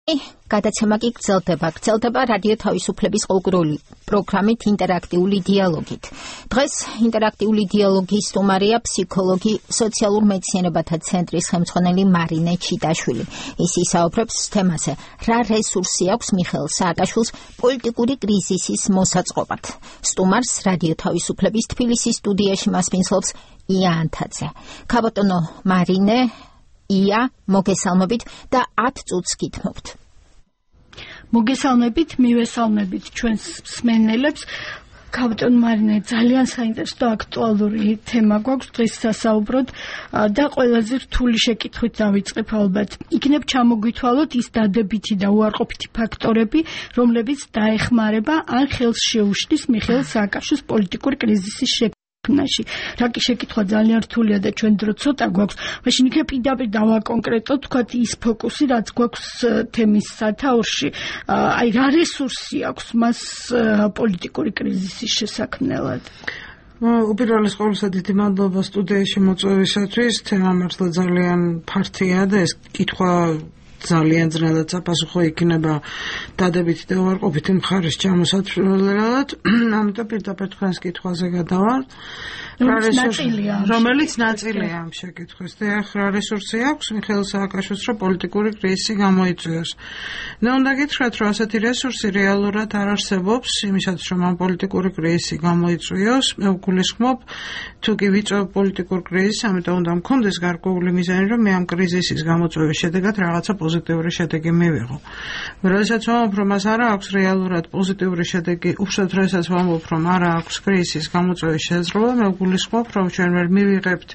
გადაცემა კი გრძელდება რადიო თავისუფლების ყოველდღიური პროგრამით ინტერაქტიული დიალოგით. დღეს ინტერაქტიული დიალოგის სტუმარია ფსიქოლოგი, სოციალურ მეცნიერებათა ცენტრის ხელმძღვანელი მარინე ჩიტაშვილი. ის ისაუბრებს თემაზე, რა რესურსი აქვს მიხეილ სააკაშვილს პოლიტიკური კრიზისის მოსაწყობად. სტუმარს რადიო თავისუფლების თბილისის სტუდიაში მასპინძლობს ია ანთაძე. ქაბატონო მარინე, ია, მოგესალმებით და 10 წუთს გითმობთ. მოგესალმებით, მივესალმებით ჩვენს მსმენელებს. ქაბატონ მარინე, ძალიან საინტერესო და აქტუალური თემა გვაქვს დღეს სასაუბროდ და ყველაზე რთული შეკითხვით დავიწყებ ალბათ. იქნებ ჩამოგვითვალოთ ის დადებითი და უარყოფითი ფაქტორები, რომლებიც დაეხმარება ან ხელს შეუშლის მიხეილ სააკაშვილის პოლიტიკური კრიზისის რა კი შეკითხვა ძალიან რთულია და ჩვენ დრო ცოტა გვაქვს. მაშინ იქნებ პირდაპირ დავაკონკრეტოთ, თქვათ ის ფოკუსი, რაც გვაქვს თემის სათაურში. აი რა რესურსი აქვს მას პოლიტიკური კრიზისის შესაქმნელად? უპირველეს ყოვლისა დიდი მადლობა სტუდიაში მოწვევისათვის. თემა მართლა ძალიან ფართია და ეს კითხვა ძალიან ძნელად საპასუხო იქნება დადებითი და უარყოფითი მხარის ჩამოსათვლელად. ამიტომ პირდაპირ თქვენს კითხვაზე გადავარ. რომელიც ნაწილია ამ შეკითხვის. რა რესურსი აქვს მიხეილ სააკაშვილს, რომ პოლიტიკური კრიზისი გამოიწვიოს? მე უნდა გითხრათ, რომ ასეთი რესურსი რეალურად არ არსებობს იმისათვის, რომ ამ პოლიტიკური კრიზისი გამოიწვიოს. მე ვგულისხმობ, თუ კი ვიწვევ პოლიტიკურ კრიზისს, ამიტომ უნდა მქონდეს გარკვეული მიზანი, რომ მე ამ კრიზისის გამოწვევის შედეგად რაღაცა პოზიტიური შედეგი მივიღო. როდესაც ვამბობ, რომ მას არ აქვს რეალურად პოზიტიური შედეგი, უბრალოდ როდესაც ვამბობ, რომ არ აქვს კრიზისის გამოწვევის შესაძლებლობა, მე ვგულისხმობ, რომ ჩვენ ვერ მივიღებთ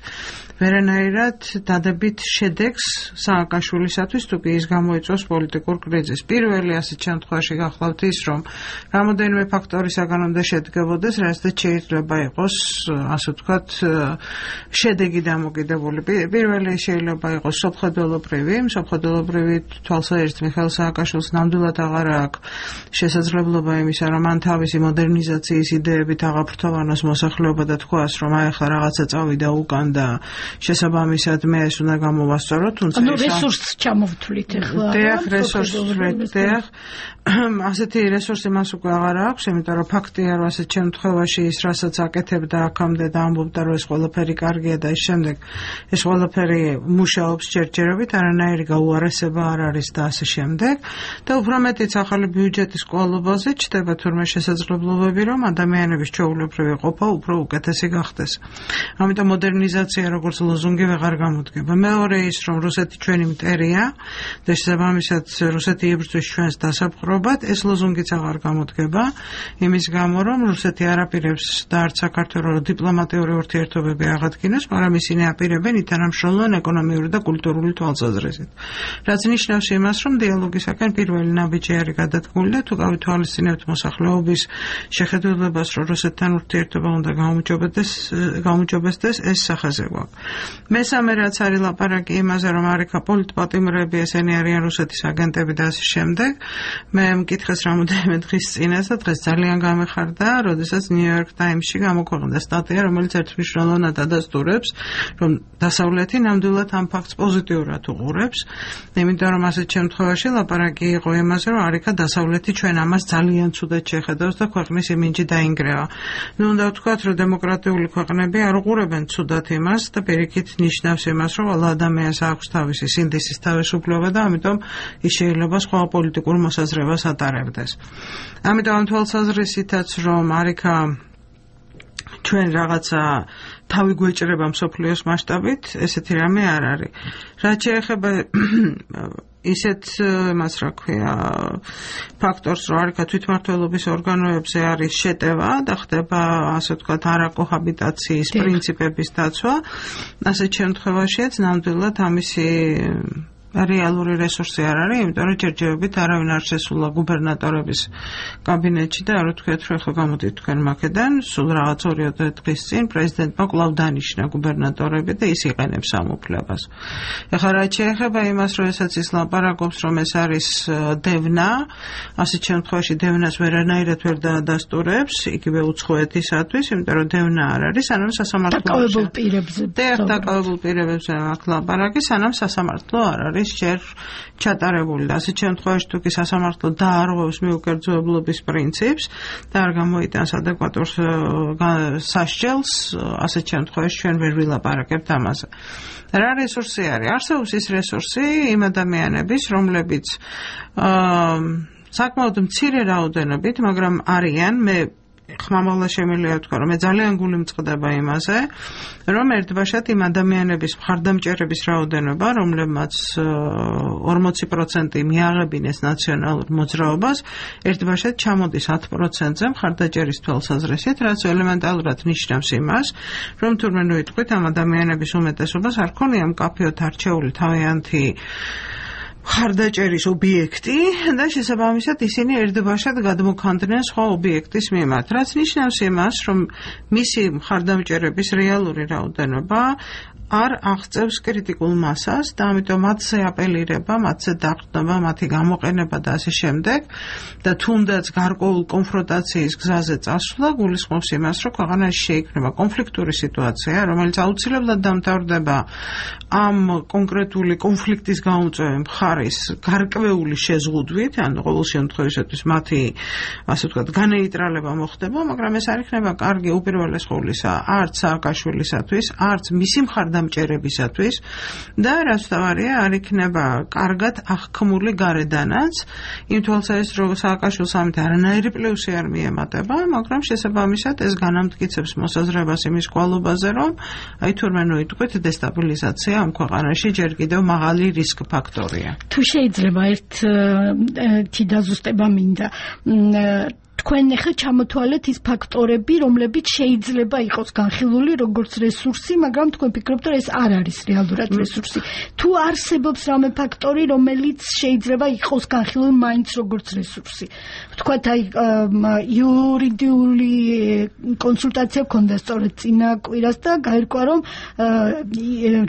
ვერანაირად დადებით შედეგს სააკაშვილისათვის, თუ კი ის გამოიწვევს პოლიტიკურ კრიზისს. პირველი ასეთ შემთხვევაში გახლავთ ის, რომ რამოდენიმე ფაქტორისაგან უნდა შედგებოდეს, რასაც შეიძლება იყოს, ასე ვთქვათ, შედეგი დამოკიდებული. პირველი შეიძლება იყოს სოფხედველობრივი თვალსაჩინო მიხეილ სააკაშვილს ნამდვილად აღარ აქვს შესაძლებლობა იმისა, რომ მან თავისი მოდერნიზაციის იდეებით აღაფრთოვანოს მოსახლეობა და თქვას, რომ აი ახლა რაღაცა წავიდა უკან და შესაბამისად მე ეს უნდა გამოვასწოროთ, თუმცა რესურსს ჩამოვთვლით ახლა. ასეთი რესურსი მას უკვე აღარ აქვს, იმიტომ რომ ფაქტია, რომ ასეთ შემთხვევაში ის რასაც აკეთებდა აქამდე და ამბობდა, რომ ეს ყველაფერი კარგია და ის შემდეგ ეს ყველაფერი მუშაობს ჯერჯერობით, არანაირი გაუარესება არ არის და ასე შემდეგ. და უფრო მეტიც ახალი ბიუჯეტის კვალობაზე ჩდება თურმე შესაძლებლობები, რომ ადამიანების ჩვეულებრივი ყოფა უფრო უკეთესი გახდეს. ამიტომ მოდერნიზაცია როგორც ლოზუნგი ვეღარ გამოდგება. მეორე ის, რომ რუსეთი ჩვენი მტერია და შესაბამისად რუსეთი იბრძვის ჩვენს დასაპყრობად, ეს ლოზუნგიც აღარ გამოდგება, იმის გამო, რომ რუსეთი არ აპირებს და არც საქართველოს დიპლომატიური ურთიერთობები აღადგინოს, მაგრამ ისინი აპირებენ ითანამშრომლონ ეკონომიური და კულტურული თვალსაზრისით. რაც ნიშნავს იმას, რომ დიალოგისაკენ პირველი ნაბიჯი არის გადადგმული და თუ გავითვალისწინებთ მოსახლეობის შეხედულებას, რომ რუსეთთან ურთიერთობა უნდა გაუმჯობესდეს, ეს სახაზე გვაქვს. მესამე რაც არის ლაპარაკი იმაზე, რომ არიქა პოლიტპატიმრები, ესენი არიან რუსეთის აგენტები და ასე შემდეგ. მე მკითხეს რამოდენიმე დღის წინას და დღეს ძალიან გამეხარდა, როდესაც New York Times-ში გამოქვეყნდა სტატია, რომელიც ერთმნიშვნელოვნად ადასტურებს, რომ დასავლეთი ნამდვილად ამ ფაქტს პოზიტიურად უყურებს, იმიტომ რომ ასეთ შემთხვევაში ლაპარაკი იყო იმაზე, რომ არიქა დასავლეთი ჩვენ ამას ძალიან ცუდად შეხედავს და ქვეყნის იმიჯი დაინგრევა. ნუ უნდა ვთქვათ, რომ დემოკრატიული ქვეყნები არ უყურებენ ცუდად იმას და პირიქით ნიშნავს იმას, რომ ყველა ადამიანს აქვს თავისი სინდისის თავისუფლება და ამიტომ ის შეიძლება სხვა პოლიტიკურ მოსაზრებას ატარებდეს. ამიტომ ამ თვალსაზრისითაც, რომ არიქა ჩვენ რაღაცა თავი გვეჭრება მსოფლიოს მასშტაბით, ესეთი რამე არ არის. რაც შეეხება ისეთ მას რა ქვია ფაქტორს, რომ არიქა თვითმმართველობის ორგანოებზე არის შეტევა და ხდება ასე ვთქვათ არაკოჰაბიტაციის პრინციპების დაცვა, ასეთ შემთხვევაშიც ნამდვილად ამისი რეალური რესურსი არ არის, იმიტომ რომ ჯერჯერობით არავინ არ შესულა გუბერნატორების კაბინეტში და არ ვთქვათ, რომ ახლა გამოდით თქვენ მაქედან, სულ რაღაც 2-3 დღის წინ პრეზიდენტმა კვლავ დანიშნა გუბერნატორები და ის იყენებს ამ უფლებას. ახლა რაც შეეხება იმას, როდესაც ის ლაპარაკობს, რომ ეს არის დევნა, ასეთ შემთხვევაში დევნას ვერანაირად ვერ დაადასტურებს, იგივე უცხოეთისათვის, იმიტომ რომ დევნა არ არის, სანამ სასამართლო დაკავებულ პირებზე. დაკავებულ პირებზე აქ ლაპარაკი, სანამ სასამართლო არ არის არის ჯერ ჩატარებული და ასეთ შემთხვევაში თუ კი სასამართლო დაარღვევს მიუკერძოებლობის პრინციპს და არ გამოიტანს ადეკვატურ სასჯელს, ასეთ შემთხვევაში ჩვენ ვერ ვილაპარაკებთ ამაზე. რა რესურსი არის? არსებობს ის რესურსი იმ ადამიანების, რომლებიც საკმაოდ მცირე რაოდენობით, მაგრამ არიან, მე ხმამაღლა შემიძლია ვთქვა, რომ მე ძალიან გული მწყდება იმაზე, რომ ერთბაშად იმ ადამიანების მხარდამჭერების რაოდენობა, რომლებმაც 40% მიაღებინეს ნაციონალურ მოძრაობას, ერთბაშად ჩამოდის 10%-ზე მხარდაჭერის თვალსაზრისით, რაც ელემენტალურად ნიშნავს იმას, რომ თურმე ნუ იტყვით ამ ადამიანების უმეტესობას არ ქონია მკაფიოდ არჩეული თავიანთი მხარდაჭერის ობიექტი და შესაბამისად ისინი ერთბაშად გადმოქანდნენ სხვა ობიექტის მიმართ, რაც ნიშნავს იმას, რომ მისი მხარდამჭერების რეალური რაოდენობა არ აღწევს კრიტიკულ მასას და ამიტომ მათზე აპელირება, მათზე დაყრდნობა, მათი გამოყენება და ასე შემდეგ და თუნდაც გარკვეულ კონფრონტაციის გზაზე წასვლა გულისხმობს იმას, რომ ქვეყანაში შეიქმნება კონფლიქტური სიტუაცია, რომელიც აუცილებლად დამთავრდება ამ კონკრეტული კონფლიქტის გამოწვევი მხარის გარკვეული შეზღუდვით, ან ყოველ შემთხვევაში მათი, ასე ვთქვათ, განეიტრალება მოხდება, მაგრამ ეს არ იქნება კარგი უპირველეს ყოვლისა არც სააკაშვილისათვის, არც მისი მხარდამჭერებისათვის და რაც თავარია არ იქნება კარგად აღქმული გარედანაც იმ თვალსაზრისით, რომ სააკაშვილს ამით არანაირი პლუსი არ მიემატება, მაგრამ შესაბამისად ეს განამტკიცებს მოსაზრებას იმის კვალობაზე, რომ აი თურმე ნუ იტყვით დესტაბილიზაცია ამ ქვეყანაში ჯერ კიდევ მაღალი რისკ ფაქტორია. თუ შეიძლება ერთი დაზუსტება მინდა. თქვენ ახლა ჩამოთვალეთ ის ფაქტორები, რომლებიც შეიძლება იყოს განხილული როგორც რესურსი, მაგრამ თქვენ ფიქრობთ, რომ ეს არ არის რეალურად რესურსი. თუ არსებობს რამე ფაქტორი, რომელიც შეიძლება იყოს განხილული მაინც როგორც რესურსი. ვთქვათ, აი იურიდიული კონსულტაცია გქონდა სწორედ წინა კვირას და გაირკვა, რომ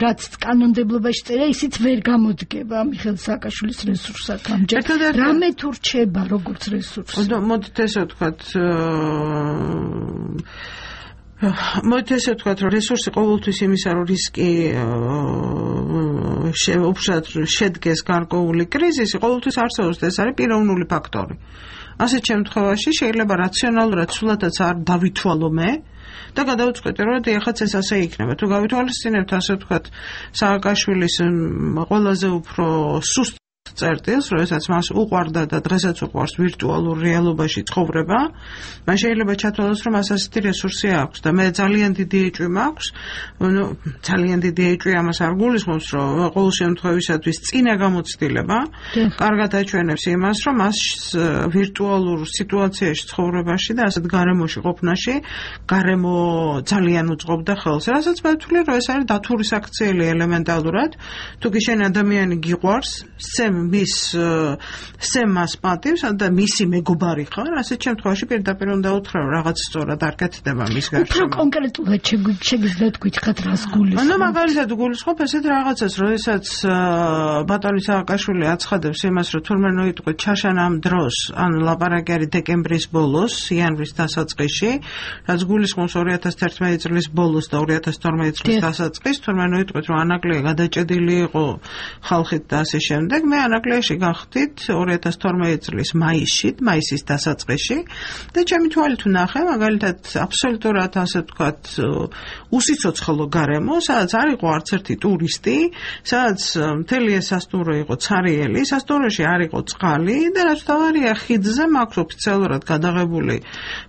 რაც კანონმდებლობაში წერია, ისიც ვერ გამოდგება მიხეილ სააკაშვილის რესურსად ამჯერად. რამე თუ რჩება როგორც რესურსი. მოდით ესე ვთქვათ, რომ რესურსი ყოველთვის იმისა, რომ რისკი უბრალოდ შედგეს გარკვეული კრიზისი, ყოველთვის არსებობს და ეს არის პიროვნული ფაქტორი. ასეთ შემთხვევაში შეიძლება რაციონალურად სულადაც არ დავითვალო მე და გადავწყვეტე, რომ ეხაც ეს ასე იქნება. თუ გავითვალისწინებთ, ასე ვთქვათ, სააკაშვილის ყველაზე უფრო სუსტ წერტილს, როდესაც მას უყვარდა და დღესაც უყვარს ვირტუალურ რეალობაში ცხოვრება, მან შეიძლება ჩათვალოს, რომ მას ასეთი რესურსი აქვს და მე ძალიან დიდი ეჭვი მაქვს, ძალიან დიდი ეჭვი ამას არ გულისხმობს, რომ ყოველ შემთხვევისათვის წინა გამოცდილება კარგად აჩვენებს იმას, რომ მას ვირტუალურ სიტუაციაში ცხოვრებაში და ასეთ გარემოში ყოფნაში გარემო ძალიან უწყობდა ხელს, რასაც მე ვთვლი, რომ ეს არის დათურის აქციელი ელემენტალურად, თუ კი შენ ადამიანი გიყვარს, მას პატივს და მისი მეგობარი ხარ, ასეთ შემთხვევაში პირდაპირ უნდა უთხრა, რომ რაღაც სწორად არ კეთდება მის გარშემო. უფრო კონკრეტულად შეგიძლიათ გითხრათ, რას გულისხმობთ? ანუ მაგალითად გულისხმობ ესეთ რაღაცას, როდესაც ბატონი სააკაშვილი აცხადებს იმას, რომ თურმე ნუ იტყვით ჩაშან ამ დროს, ან ლაპარაკი არის დეკემბრის ბოლოს, იანვრის დასაწყისში, რაც გულისხმობს 2011 წლის ბოლოს და 2012 წლის დასაწყისს, თურმე ნუ იტყვით, რომ ანაკლია გადაჭედილი იყო ხალხით და ასე შემდეგ. მე ანაკლიაში გავხდით 2012 წლის მაისის დასაწყისში და ჩემი თვალით ვნახე, მაგალითად აბსოლუტურად ასე ვთქვათ, უსიცოცხლო გარემო, სადაც არ იყო არც ერთი ტურისტი, სადაც მთელი ეს სასტუმრო იყო ცარიელი, სასტუმროში არ იყო წყალი და რაც თავარია ხიდზე მაქვს ოფიციალურად გადაღებული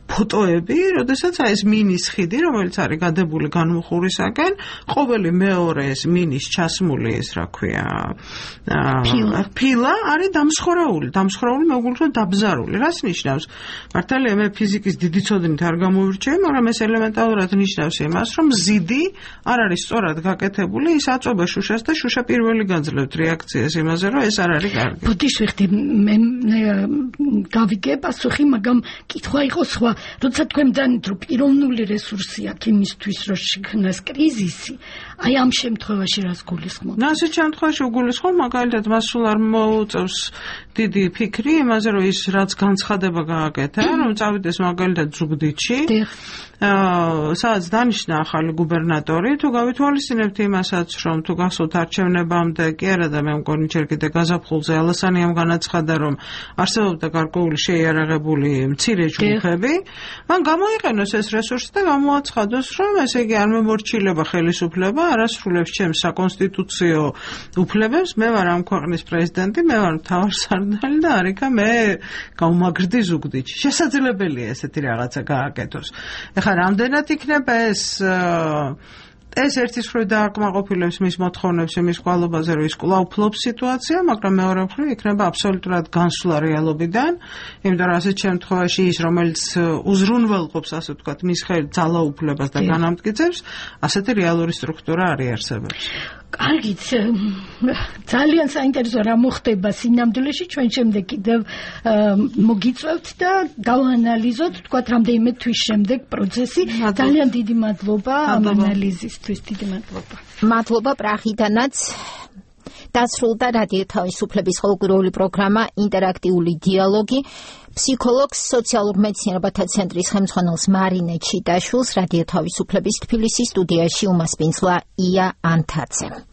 ფოტოები, როდესაც ეს მინის ხიდი, რომელიც არის გადებული განმუხურისაკენ, ყოველი მეორე ეს მინის ჩასმული ეს რა ქვია, ფილა არის დამსხვრეული მეგულრო დაბზარული. რას ნიშნავს? მართალია მე ფიზიკის დიდი ცოდნით არ გამოვირჩევი, მაგრამ ეს ელემენტალურად ნიშნავს იმას, რომ ზიდი არ არის სწორად გაკეთებული, ის აწובה შუშას და შუშა პირველი გაძლევთ რეაქციას იმაზე, რომ ეს არ არის კარგი. ბუდიშ ვიხდი, მე გავიგე პასუხი, მაგრამ კითხვა იყო სხვა. როცა თქვენ დანით, რომ პიროვნული რესურსი აქვს იმისთვის, რომ შექმნას კრიზისი, აი ამ შემთხვევაში რას გულისხმობთ? ასეთ შემთხვევაში უგულისხმობ, მაგალითად მას სულ არ მოუწევს დიდი ფიქრი იმაზე, რომ ის რაც განცხადება გააკეთა, რომ წავიდეს მაგალითად ზუგდიდში, სადაც დანიშნა ახალი გუბერნატორი, თუ გავითვალისწინებთ იმასაც, რომ თუ გახსოვთ არჩევნებამდე, კი არა და მე მგონი ჯერ კიდე გაზაფხულზე ალასანიამ განაცხადა, რომ არსებობდა გარკვეული შეიარაღებული მცირე ჯგუფები, მან გამოიყენოს ეს რესურსი და გამოაცხადოს, რომ ესე იგი არ მემორჩილება ხელისუფლება, არასრულებს ჩემს საკონსტიტუციო უფლებებს, მე ვარ ამ ქვეყნის პრეზიდენტი, მე ვარ მთავარსარდალი და არიქა მე გავმაგრდი ზუგდიდში. შესაძლებელია ესეთი რაღაცა გააკეთოს. ეხლა რამდენად იქნება ეს ერთის მხრივ დააკმაყოფილებს მის მოთხოვნებს იმის კვალობაზე, რომ ის კვლავ ფლობს სიტუაცია, მაგრამ მეორე მხრივ იქნება აბსოლუტურად განსვლა რეალობიდან, იმიტომ რომ ასეთ შემთხვევაში ის, რომელიც უზრუნველყოფს, ასე ვთქვათ, მის ძალაუფლებას და განამტკიცებს, ასეთი რეალური სტრუქტურა არ იარსებობს. კარგით, ძალიან საინტერესო რა მოხდება სინამდვილეში, ჩვენ შემდეგ კიდევ მოგიწევთ და გავანალიზოთ, თქვათ, რამდენიმე თვის შემდეგ პროცესი. ძალიან დიდი მადლობა ამ ანალიზისთვის, დიდი მადლობა. მადლობა პრაღიდანაც. დასრულდა რადიო თავისუფლების ყოველკვირეული პროგრამა ინტერაქტიული დიალოგი. ფსიქოლოგს, სოციალურ მეცნიერებათა ცენტრის ხელმძღვანელს მარინე ჩიტაშვილს, რადიო თავისუფლების თბილისის სტუდიაში უმასპინძლა ია ანთაძე.